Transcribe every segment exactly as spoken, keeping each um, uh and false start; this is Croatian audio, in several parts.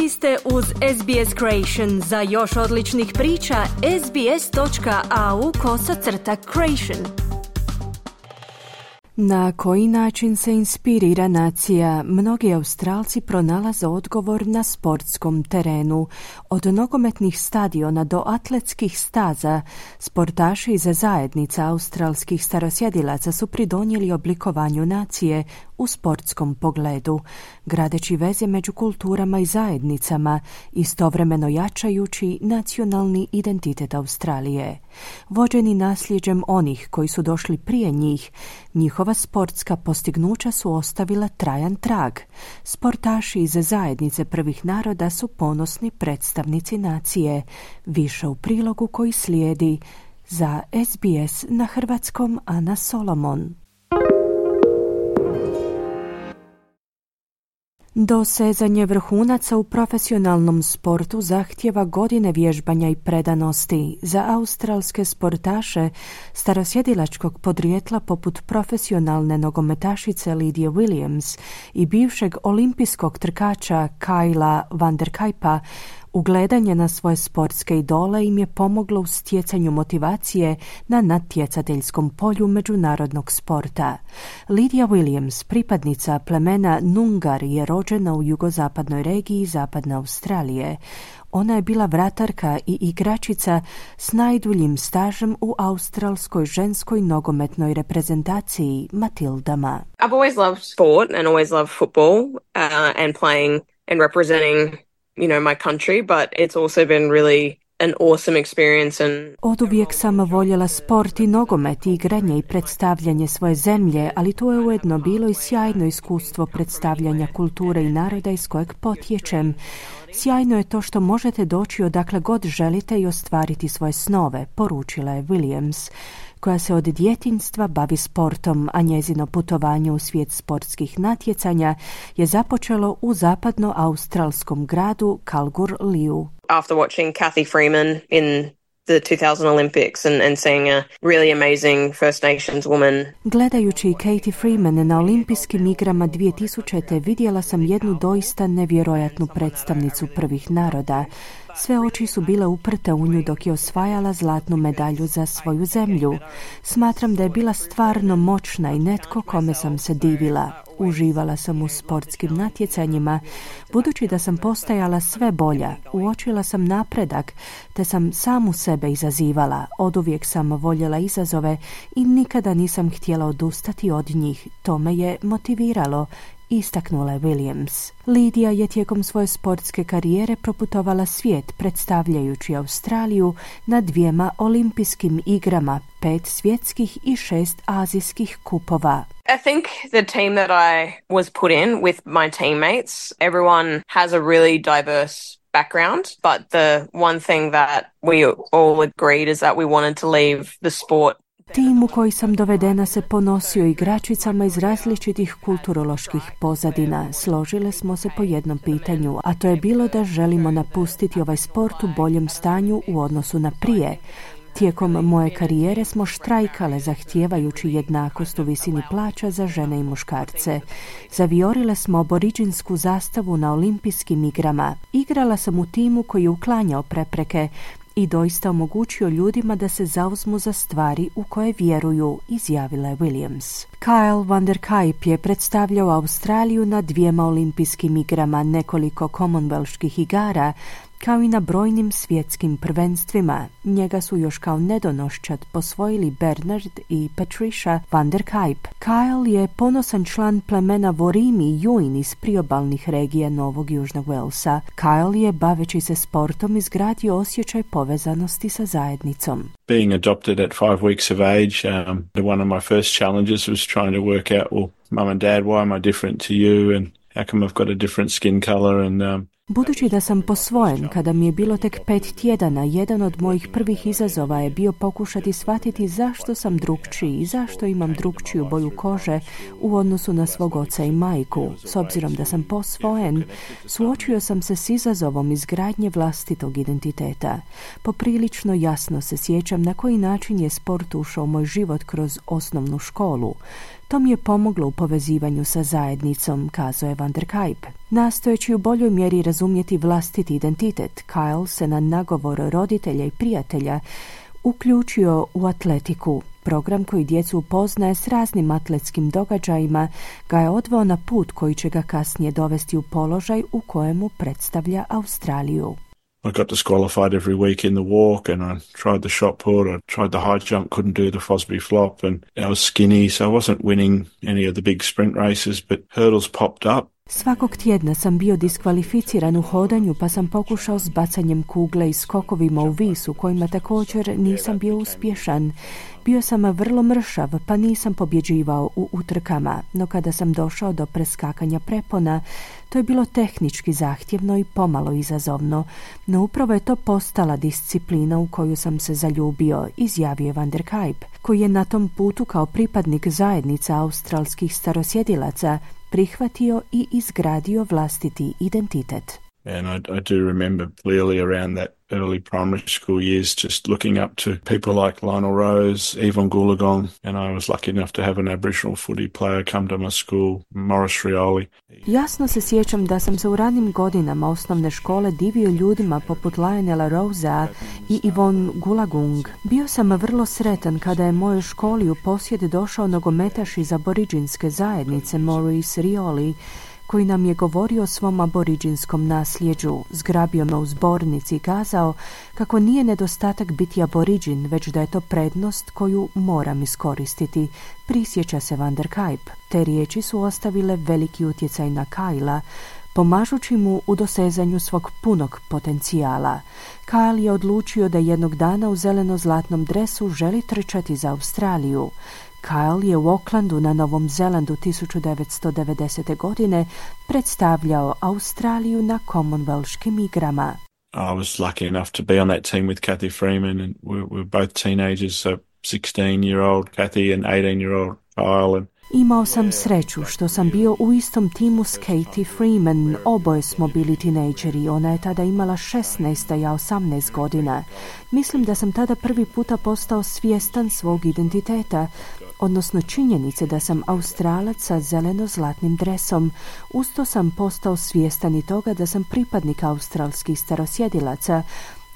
Vi ste uz S B S Creation. Za još odličnih priča, sbs.au kosacrta creation. Na koji način se inspirira nacija? Mnogi Australci pronalaze odgovor na sportskom terenu. Od nogometnih stadiona do atletskih staza, sportaši iz zajednica australskih starosjedilaca su pridonijeli oblikovanju nacije u sportskom pogledu, gradeći veze među kulturama i zajednicama, istovremeno jačajući nacionalni identitet Australije. Vođeni nasljeđem onih koji su došli prije njih, njihova sportska postignuća su ostavila trajan trag. Sportaši iz zajednice prvih naroda su ponosni predstavnici nacije. Više u prilogu koji slijedi. Za S B S na hrvatskom Ana Solomon. Dosezanje vrhunaca u profesionalnom sportu zahtjeva godine vježbanja i predanosti. Za australske sportaše starosjedilačkog podrijetla poput profesionalne nogometašice Lidije Williams i bivšeg olimpijskog trkača Kyla van der Kuypa, ugledanje na svoje sportske idole im je pomoglo u stjecanju motivacije na natjecateljskom polju međunarodnog sporta. Lidija Williams, pripadnica plemena Nungar, je rođena u jugozapadnoj regiji Zapadne Australije. Ona je bila vratarka i igračica s najduljim stažem u australskoj ženskoj nogometnoj reprezentaciji Matildama. I've always loved sport and always loved football uh, and playing and representing, you know, my country, but it's also been really an awesome experience. And Oduvijek sam voljela sport i nogomet, igranje i predstavljanje svoje zemlje, ali to je ujedno bilo i sjajno iskustvo predstavljanja kulture i naroda iz kojeg potječem. Sjajno je to što možete doći odakle god želite i ostvariti svoje snove, poručila je Williams, koja se od djetinjstva bavi sportom, a njezino putovanje u svijet sportskih natjecanja je započelo u zapadno-australskom gradu Kalgoorlie. After watching Cathy Freeman in the two thousand Olympics and, and seeing a really amazing First Nations woman. Gledajući Katie Freeman na olimpijskim igrama dvije tisućite. vidjela sam jednu doista nevjerojatnu predstavnicu prvih naroda. Sve oči su bile uprte u nju dok je osvajala zlatnu medalju za svoju zemlju. Smatram da je bila stvarno moćna i netko kome sam se divila. Uživala sam u sportskim natjecanjima, budući da sam postajala sve bolja. Uočila sam napredak, te sam samu sebe izazivala. Oduvijek sam voljela izazove i nikada nisam htjela odustati od njih. To me je motiviralo, istaknula je Williams. Lidija je tijekom svoje sportske karijere proputovala svijet, predstavljajući Australiju na dvijema olimpijskim igrama, pet svjetskih i šest azijskih kupova. I think the team that I was put in with my teammates, everyone has a really diverse background, but the one thing that we all agreed is that we wanted to leave the sport. Tim u koji sam dovedena se ponosio igračicama iz različitih kulturoloških pozadina. Složile smo se po jednom pitanju, a to je bilo da želimo napustiti ovaj sport u boljem stanju u odnosu na prije. Tijekom moje karijere smo štrajkale zahtijevajući jednakost u visini plaća za žene i muškarce. Zaviorile smo aboriđinsku zastavu na olimpijskim igrama. Igrala sam u timu koji je uklanjao prepreke i doista omogućio ljudima da se zauzmu za stvari u koje vjeruju, izjavila je Williams. Kyle van der Kuyp je predstavljao Australiju na dvijema olimpijskim igrama, nekoliko Commonwealthskih igara, kao i na brojnim svjetskim prvenstvima. Njega su još kao nedonoščad posvojili Bernard i Patricia van der Kuyp. Kyle je ponosan član plemena Worimi i Yuin iz priobalnih regija Novog Južnog Walesa. Kyle je, baveći se sportom, izgradio osjećaj povezanosti sa zajednicom. Being adopted at five weeks of age, um, one of my first challenges was trying to work out, well, mum and dad, why am I different to you, and how come I've got a different skin color, and um, Budući da sam posvojen kada mi je bilo tek pet tjedana, jedan od mojih prvih izazova je bio pokušati shvatiti zašto sam drukčiji i zašto imam drukčiju boju kože u odnosu na svog oca i majku. S obzirom da sam posvojen, suočio sam se s izazovom izgradnje vlastitog identiteta. Poprilično jasno se sjećam na koji način je sport ušao u moj život kroz osnovnu školu. To mi je pomoglo u povezivanju sa zajednicom, kazao je Van der Kijp. Nastojeći u boljoj mjeri razumjeti vlastiti identitet, Kyle se na nagovor roditelja i prijatelja uključio u atletiku. Program koji djecu upoznaje s raznim atletskim događajima ga je odveo na put koji će ga kasnije dovesti u položaj u kojemu predstavlja Australiju. I got disqualified every week in the walk, and I tried the shot put, I tried the high jump, couldn't do the Fosbury flop, and I was skinny, so I wasn't winning any of the big sprint races, but hurdles popped up. Svakog tjedna sam bio diskvalificiran u hodanju, pa sam pokušao s bacanjem kugle i skokovima u vis u kojima također nisam bio uspješan. Bio sam vrlo mršav, pa nisam pobjeđivao u utrkama, no kada sam došao do preskakanja prepona, to je bilo tehnički zahtjevno i pomalo izazovno, no upravo je to postala disciplina u koju sam se zaljubio, izjavio je Van der Kijp, koji je na tom putu kao pripadnik zajednica australskih starosjedilaca prihvatio i izgradio vlastiti identitet. And I, I do remember clearly around that early primary school years just looking up to people like Lionel Rose, Yvonne Goolagong, and I was lucky enough to have an Aboriginal footy player come to my school, Morris Rioli. Jasno se sjećam da sam se u ranim godinama osnovne škole divio ljudima poput Lionela Rosea i Yvonne Goolagong. Bio sam vrlo sretan kada je mojoj školi u posjed došao nogometaš iz aboriđinske zajednice Morris Rioli, koji nam je govorio o svom aboriđinskom nasljeđu, zgrabio me u zbornici i kazao kako nije nedostatak biti aboriđin, već da je to prednost koju moram iskoristiti, prisjeća se Van der Kijp. Te riječi su ostavile veliki utjecaj na Kyla, pomažući mu u dosezanju svog punog potencijala. Kyle je odlučio da jednog dana u zeleno-zlatnom dresu želi trčati za Australiju. Kyle je u Aucklandu na Novom Zelandu tisuću devetsto devedesete. godine predstavljao Australiju na Commonwealthskim igrama. I was lucky enough to be on that team with Kathy Freeman, and we were both teenagers, so sixteen-year-old Kathy and eighteen-year-old Kyle. And Imao sam sreću što sam bio u istom timu s Katie Freeman, oboje smo bili tinejdžeri, ona je tada imala šesnaest, a ja osamnaest godina. Mislim da sam tada prvi puta postao svjestan svog identiteta, odnosno činjenice da sam Australac sa zeleno-zlatnim dresom. Usto sam postao svjestan i toga da sam pripadnik australskih starosjedilaca,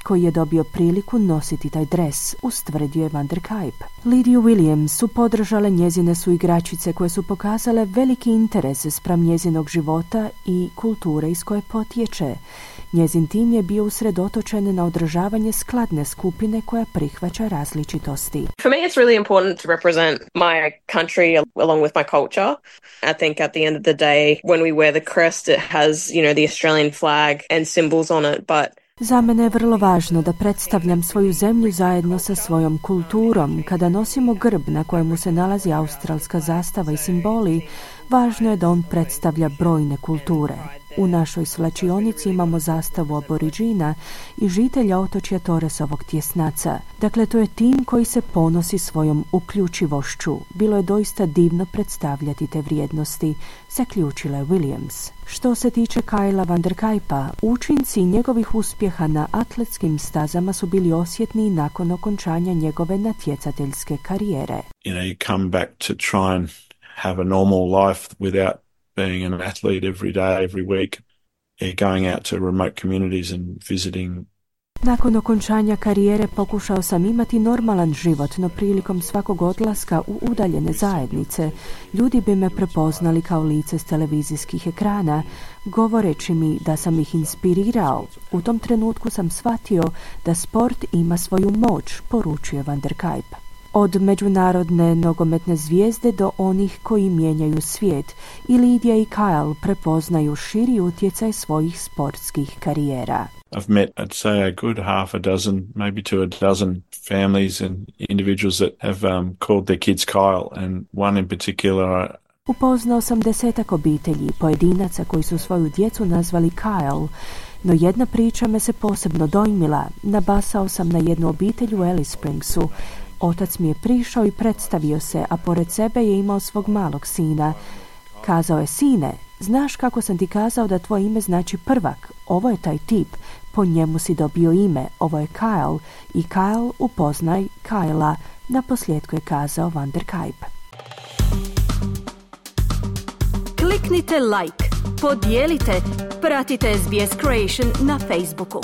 koji je dobio priliku nositi taj dres, ustvrdio je Van der Kijp. Lidiju Williams su podržale njezine su igračice koje su pokazale veliki interes spram njezinog života i kulture iz koje potječe. Njezin tim je bio usredotočen na održavanje skladne skupine koja prihvaća različitosti. For me, it's really important to represent my country along with my culture. I think at the end of the day, when we wear the crest, it has, you know, the Australian flag and symbols on it, but Za mene je vrlo važno da predstavljam svoju zemlju zajedno sa svojom kulturom. Kada nosimo grb na kojemu se nalazi australska zastava i simboli, važno je da on predstavlja brojne kulture. U našoj svlačionici imamo zastavu aboriđina i žitelja otočja Torresovog tjesnaca. Dakle, to je tim koji se ponosi svojom uključivošću. Bilo je doista divno predstavljati te vrijednosti, zaključila je Williams. Što se tiče Kyla Van der Kijpa, učinci njegovih uspjeha na atletskim stazama su bili osjetni nakon okončanja njegove natjecateljske karijere. you know, you come back to try and have a normal life without being an athlete every day, every week, yeah, going out to remote communities and visiting. Nakon okončanja karijere pokušao sam imati normalan život, no prilikom svakog odlaska u udaljene zajednice ljudi bi me prepoznali kao lice s televizijskih ekrana, govoreći mi da sam ih inspirirao. U tom trenutku sam shvatio da sport ima svoju moć, poručuje Van der Kijp. Od međunarodne nogometne zvijezde do onih koji mijenjaju svijet, i Lidija i Kyle prepoznaju širi utjecaj svojih sportskih karijera. I've met, I'd say, a good half a dozen, maybe to a dozen families and individuals that have um, called their kids Kyle, and one in particular. I... Upoznao sam desetak obitelji i pojedinaca koji su svoju djecu nazvali Kyle, no jedna priča me se posebno dojmila. Nabasao sam na jednu obitelj u Alice Springsu. Otac mi je prišao i predstavio se, a pored sebe je imao svog malog sina. Kazao je: sine, znaš kako sam ti kazao da tvoje ime znači prvak? Ovo je taj tip, po njemu si dobio ime, ovo je Kyle, i Kyle, upoznaj Kyla, naposljetku je kazao Van der Kijp. Kliknite like, podijelite, pratite S B S Creation na Facebooku.